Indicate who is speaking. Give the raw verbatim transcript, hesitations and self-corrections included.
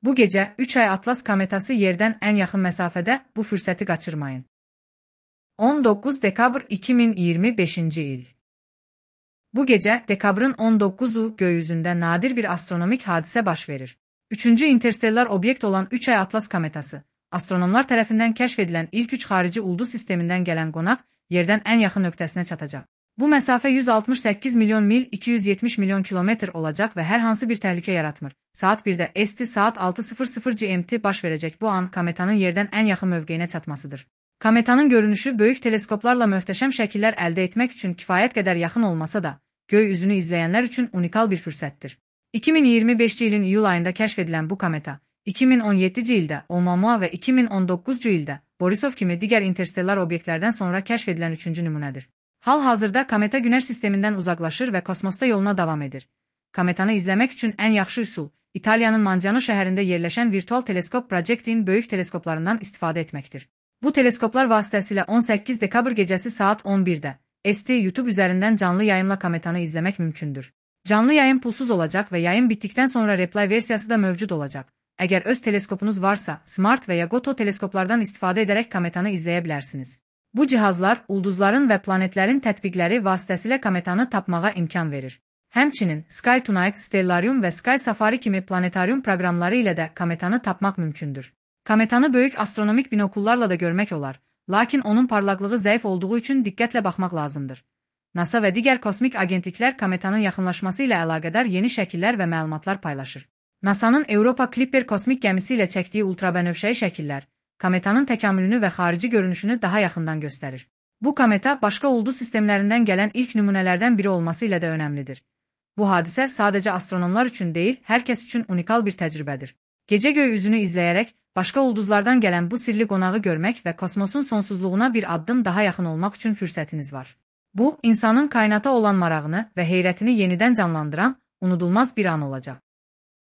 Speaker 1: Bu gecə üç ay Atlas kometası yerdən ən yaxın məsafədə, bu fürsəti qaçırmayın. on doqquz dekabr iki min iyirmi beşinci il. Bu gecə dekabrın on dokkuzu gökyüzündə nadir bir astronomik hadisə baş verir. Üçüncü interstellar obyekt olan üç ay Atlas kometası, astronomlar tərəfindən kəşf edilən ilk üç xarici ulduz sistemindən gələn qonaq, yerdən ən yaxın nöqtəsinə çatacaq. Bu məsafə yüz altmış səkkiz milyon mil iki yüz yetmiş milyon kilometr olacaq və hər hansı bir təhlükə yaratmır. Saat birdə E S T saat altı sıfır sıfır G M T baş verəcək bu an kometanın yerdən ən yaxın mövqeyinə çatmasıdır. Kometanın görünüşü böyük teleskoplarla möhtəşəm şəkillər əldə etmək üçün kifayət qədər yaxın olmasa da, göy üzünü izləyənlər üçün unikal bir fürsətdir. iki min iyirmi beşinci ilin iyul ayında kəşf edilən bu kometa, iki min on yeddinci ildə Oumuamua və iki min on doqquzuncu ildə Borisov kimi digər interstellar obyektlərdən sonra kəşf edilən üçüncü nümunədir. Hal-hazırda kometa Günəş sistemindən uzaqlaşır və kosmosda yoluna davam edir. Kometanı izləmək üçün ən yaxşı üsul, İtaliyanın Mangiano şəhərində yerləşən virtual teleskop Project'in böyük teleskoplarından istifadə etməkdir. Bu teleskoplar vasitəsilə on səkkiz dekabr gecəsi saat on birdə S T YouTube üzərindən canlı yayımla kometanı izləmək mümkündür. Canlı yayım pulsuz olacaq və yayım bitdikdən sonra replay versiyası da mövcud olacaq. Əgər öz teleskopunuz varsa, Smart və ya Goto teleskoplardan istifadə edərək kometanı izləyə bilərsiniz. Bu cihazlar, ulduzların və planetlərin tətbiqləri vasitəsilə kometanı tapmağa imkan verir. Həmçinin Sky Tonight, Stellarium və Sky Safari kimi planetarium proqramları ilə də kometanı tapmaq mümkündür. Kometanı böyük astronomik binokullarla da görmək olar, lakin onun parlaqlığı zəif olduğu üçün diqqətlə baxmaq lazımdır. NASA və digər kosmik agentliklər kometanın yaxınlaşması ilə əlaqədar yeni şəkillər və məlumatlar paylaşır. NASA'nın Europa Clipper kosmik gəmisi ilə çəkdiyi ultrabənövşəyi şəkillər, kometanın təkamülünü və xarici görünüşünü daha yaxından göstərir. Bu kometa başqa ulduz sistemlərindən gələn ilk nümunələrdən biri olması ilə də önəmlidir. Bu hadisə sadəcə astronomlar üçün deyil, hər kəs üçün unikal bir təcrübədir. Gecə göy üzünü izləyərək, başqa ulduzlardan gələn bu sirli qonağı görmək və kosmosun sonsuzluğuna bir addım daha yaxın olmaq üçün fürsətiniz var. Bu, insanın kainata olan marağını və heyrətini yenidən canlandıran, unudulmaz bir an olacaq.